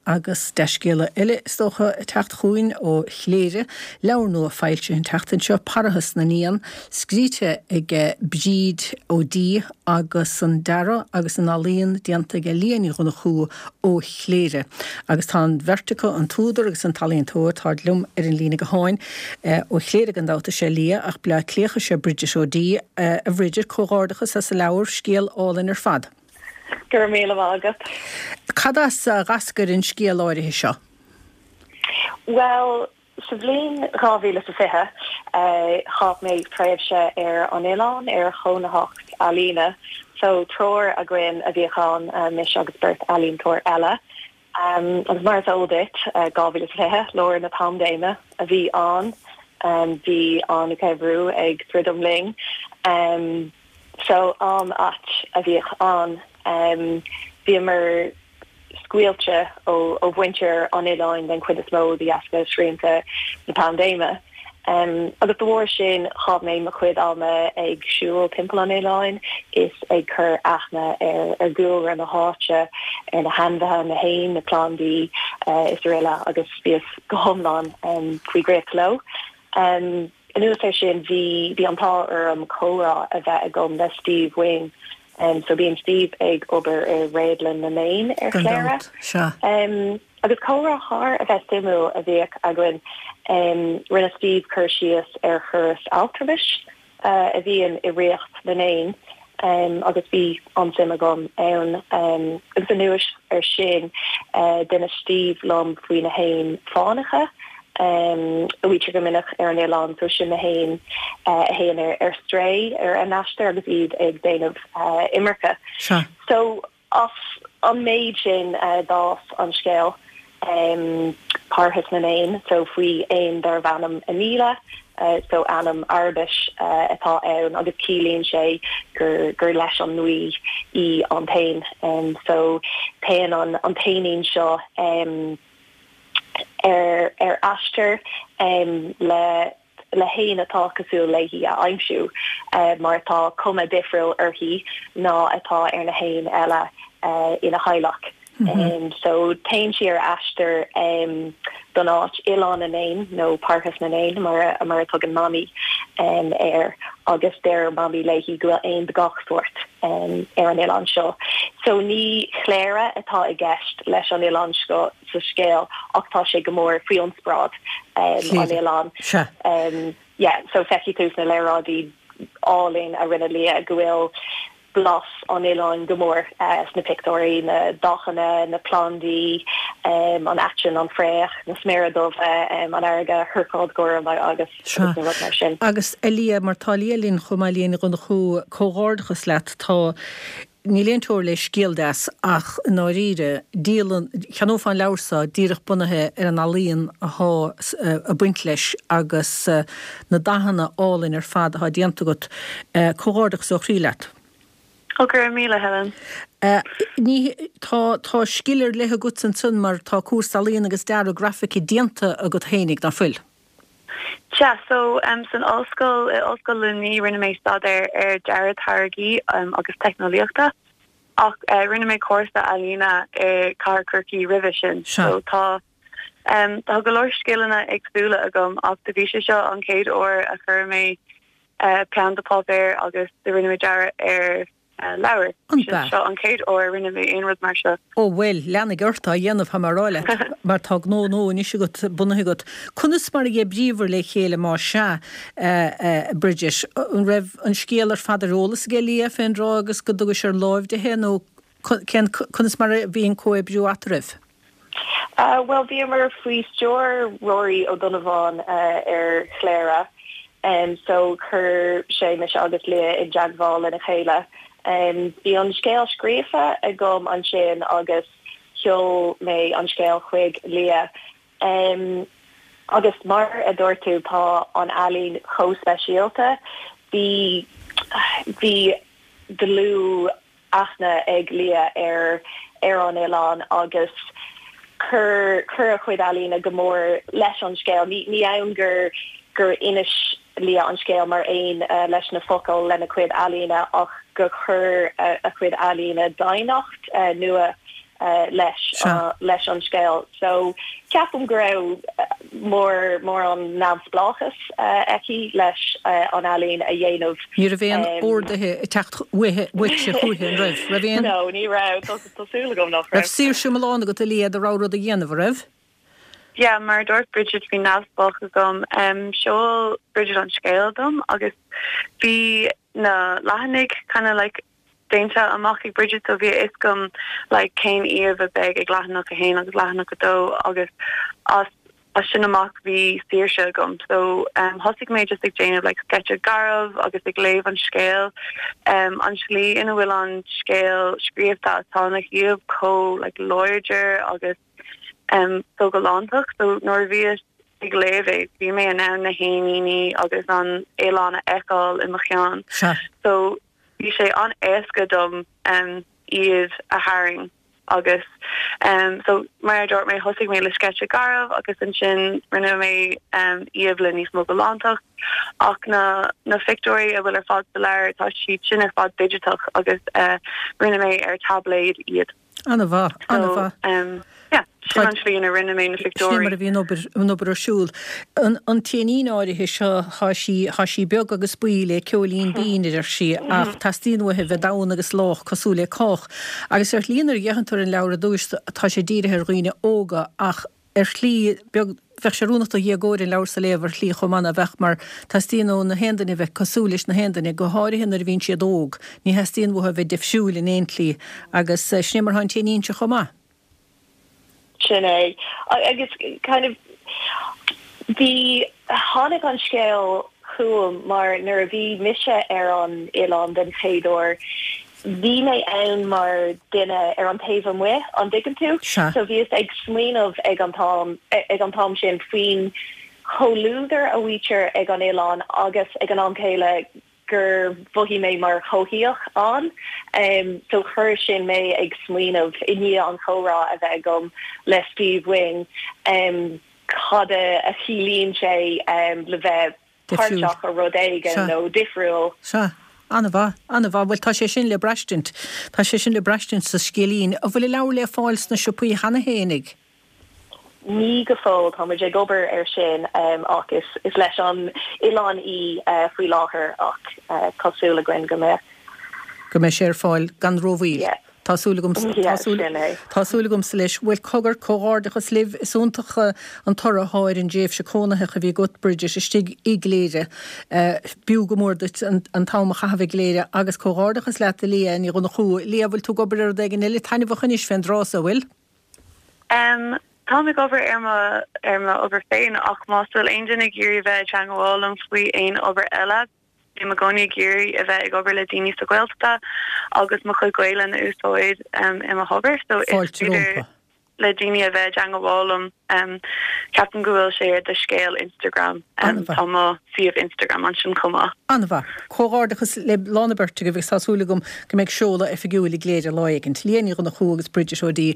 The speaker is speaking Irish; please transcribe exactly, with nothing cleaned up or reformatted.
Agus dea-scéala eile is dócha ag teacht chugainn ó Chléire, leabhar nua foilsithe an tseachtain seo, Parthas na nÉan, scríte ag Bríd O'Dea agus an dearadh agus an ealaíon déanta ag Liadh Ní Dhonnchú ó Chléire. Agus tá an bheirt acu, an t-údar agus an t-ealaíontóir, táid liom ar an líne gutháin. Ó Chléire gan dabht is ea Liadh ach Bleá Cliathach is ea Bridget O'Dea. A Bhridget, comhghairdeachas as an leabhar, scéal álainn ar fad. Go raibh míle maith agat. Cad as a d'eascair an scéal áirithe seo? Bhuel, sa bhliain dhá mhíle is a fiche, chaith mé tréimhse ar an oileán ar chónaitheacht ealaíne. So triúr againn a bhíodh ann, mise agus beirt ealaíontóir eile. Agus mar is eol duit, dhá mhíle is a fiche, lár na paindéime a bhí ann. Bhí an geimhreadh ag druidim linn. So am ait a bhíodh ann. Bhíomar scaoilte ó ó mhuintir an oileáin den chuid is mó de dheasca srianta na paindéime. Agus de bharr sin chaith mé mo chuid ama ag siúl timpeall an oileáin is ag cur aithne ar ar dhúlra na háite, ar na hainmhithe, na héin, na plandaí is araile agus bhíos go hiomlán faoi dhraíocht leo. Anuas air sin bhí bhí an t-ádh orm comhrá a bheith agam le Steve Wing. Um, so bíonn Steve ag obair i Réadlann na nÉan ar Gan Chléire. dabht, sea. Um, agus comhrá thar a bheith suimiúil a bhíodh againn. Um, rinne Steve cur síos ar chóras altramais uh, a bhíonn i ríocht na n-éan. Um, agus bhí an-suim agam ann um, agus anuas air sin uh, d'inis Steve liom faoi na héin fánacha um, a bhítear go minic ar an oileán so sin na héin uh, a théann ar, ar strae ar an aistear agus iad ag déanamh uh, imirce. Sea. So as an méid sin uh, d'fhás an scéal um, Parthas na nÉan, so faoi éan darbh ainm Anila, uh, so ainm Araibis uh, atá ann agus ciallaíonn sé gur, gur leis an ngaoth í an t-éan. Um, so téann an, an t-éinín seo um, ar ar aistear um, le le héan atá cosúil léi a aimsiú uh, mar tá cuma difriúil uirthi ná atá ar na héin eile uh, ina theaghlach. Mm -hmm. um, so téann sí ar aistear um, don áit Oileán na nÉan nó Parthas na nÉan mar mar a tugann Mamaí um, air agus deir Mamaí léi go bhfuil éin de gach sórt um, ar an oileán seo. So ní Cléire atá i gceist leis an oileán seo sa scéal ach tá sé go mór faoi inspioráid um, an oileán. Sea. Um, yeah, so feicfidh tú na léaráidí álainn a rinne Liadh go bhfuil blas an oileáin go mór uh, sna pictiúirí na dathanna na plandaí um, an aiteann an fraoch na sméara dubha um, an fharraige thurcóid ghorm agus Sea. agus na rud mar sin. Agus a Liadh mar tá Liadh linn chomh maith Liadh Ní Dhonnchú comhghairdeachas leat tá níl aon teora le scéal deas ach i ndáiríre díolann cheannófá an leabhar seo díreach bunaithe ar an ealaíon atá ag baint leis agus uh, na dathanna álainn ar fad atá déanta agat uh, comhghairdeachas ó chroí leat. Ó go raibh míle Helen. Uh, ní tá tá scil ar leith agat ansan mar tá cúrsa ealaíon agus dearadh grafaice déanta agat fhéinig nach bhfuil. Sea, so um, san ollscoil i Ollscoil Luimnigh rinne mé staidéar ar dearadh táirgí um, agus teicneolaíochta ach uh, rinne mé cúrsa ealaíne i Cathair Chorcaí roimhe sin. Sea. So tá um, tá go leor scileanna éagsúla agam ach do bhí sé seo an chéad uair a chuir mé uh, peann go páipéar agus do rinne mé dearadh ar uh, leabhar. An Sin ba. seo an chéad uair rinne mé aon rud mar seo. Ó bhuel lean ort á dhéanamh mar le mar tá gnó nó anois agat bunaithe agat. Conas mar a d'oibríobhair le chéile má sea uh, uh, Bridget an raibh an scéal ar fad ar eolas ag Liadh fén dtráth agus go dtugais ar láimh di nó cén conas mar a bhí an comhoibriú eadraibh? Uh, well bhíomar faoi stiúir Rory Ó Donnabháin uh, ar Chléire. Um, so chuir sé mise agus Liadh i dteagmháil lena chéile. Um, bhí an scéal scríofa agam ansin agus sheol mé an scéal chuig Liadh. Um, agus mar a dúirt tú tá an ealaín chomh speisialta, bhí bhí dlúth aithne ag Liadh ar ar an oileán agus chuir chuir a chuid ealaíne go mór leis an scéal. Ní ní amháin gur gur inis Liadh an scéal mar aon uh, leis na focail lena cuid ealaíne ach gur chuir uh, a chuid ealaíne doimhneacht uh, nua leis leis an scéal. So ceapaim go raibh mór mórán neamhspleáchas aici leis an ealaín a dhéanamh. Ní raibh aon orduithe ag teacht uaithe uaitse chúichi an raibh? Raibh aon? No, ní raibh, tá súil agam nach raibh. Raibh saoirse iomlán agat a Liadh do rogha rud a dhéanamh, an raibh? Yeah, mar a dúirt Bridget bhí neamhspleáchas agam. Um, sheol Bridget an scéal dom agus bhí na leathanaigh kind of like déanta amach ag Bridget so bhí a fhios agam like cén íomhá a bheidh ag leathanach a haon agus leathanach a dó agus as as sin amach bhí saoirse agam so um, thosaigh mé just ag déanamh like sketch garbh agus ag léamh an scéal um, an slí ina bhfuil an scéal scríofa tá na híomhánna chomh like láidir agus um, so galánach so nuair a bhíos ag léamh é bhí mé in ann na héiníní agus an oileán a fheiceáil i mo cheann so bhí sé an-éasca dom um, iad a tharraingt agus um, so mar a dúirt mé thosaigh mé le sketch garbh agus ansin rinne mé um, íomhá le níos mó galántacht ach na na pictiúirí a bhfuil ar fad sa leabhar tá siad sin ar fad digiteach agus uh, rinne mé ar táibléad iad. An-mhaith an-mhaith. Um, yeah, sin an slí a rinne mé na Sin mar a pictiúirí. bhí an obair an obair ar siúl. An an t-éinín áirithe seo tá sí tá sí beag agus buí le ceoilín binn a deir sí ach teastaíonn uaithi bheith domhain agus lách cosúil le cách. Agus ar shlí nuair a fhéachann tú ar an leabhar ar dtús tá sé dírithe ar dhaoine óga ach ar shlí beag bheadh sé oiriúnach do dhéagóir an leabhar seo a léamh ar shlí chomh maith a bheadh mar teastaíonn ó na haon duine bheith cosúil leis na haon duine go háirithe nuair a bhíonn siad óg, ní theastaíonn uathu bheith difriúil in aon tslí agus eh, sin mar atá an t-éinín seo chomh maith. Sin é agus kind of bhí tháinig an scéal chugam mar nuair a bhí mise ar an oileán den chéad uair bhí mé ann mar duine ar an taobh amuigh an dtuigeann tú Sea. so bhíos ag smaoineamh ag an t-am ag an t-am sin faoin chomhluadar a bhítear ag an oileán agus ag an am céile gur mhothaigh mé mar choimhthíoch ann um, so chuir sin mé ag smaoineamh i ndiaidh an chomhrá a bheith agam le Steve Wing um, cad a chiallaíonn sé um, le bheith Difriúil. páirteach i rud éigin Sea. nó difriúil. Sea, an-mhaith, an-mhaith, bhuel tá sé sin le braistint, Tá sé sin le braistint sa scéilín, an bhfuil an leabhar le fáil sna siopaí cheana fhéinig. Ní go fóill tá muid ag obair ar sin um, ach is, is leis an oileán í uh, faoi láthair ach uh, tá súil againn go mbeidh. go mbeidh sé ar fáil gan rómhoill. Yeah. Tá súil agam Yeah, sin é. Tá súil agamsa leis bhfuil cogar comhghairdeachas libh is iontach eh, an toradh ar an dtréimhse cónaithe a bhí agat Bridget istigh i gCléire. Uh, B'fhiú go mór duit an, an t-am a chaitheamh i gCléire agus comhghairdeachas leat a Liadh Ní Dhonnchú Liadh bhfuil tú ag obair ar rud éigin eile taitneamhach anois fén dtráth seo bhfuil? Um, Tá ag obair ar mo ar mo obair féin ach má bhfuil aon duine ag iarraidh bheith teagmháil liom faoi aon obair eile. Bhí mé i gcónaí ag iarraidh a bheith ag obair le daoine sa Ghaeltacht agus mo chuid Gaeilge a úsáid um, i mo hobair so is Fáilte féidir rompu. le daoine a bheith teagmháil liom um, ceapaim go bhfuil sé ar do scéal Instagram um, An-mhaith. tá mo suíomh Instagram ansin chomh maith. An-mhaith. Comhghairdeachas le lánabert go bh sásúla gom go mbeidh seoladh oifigiúil i gCléire lá éigin. Liadh Ní Dhonnchú agus Bridget O'Dea.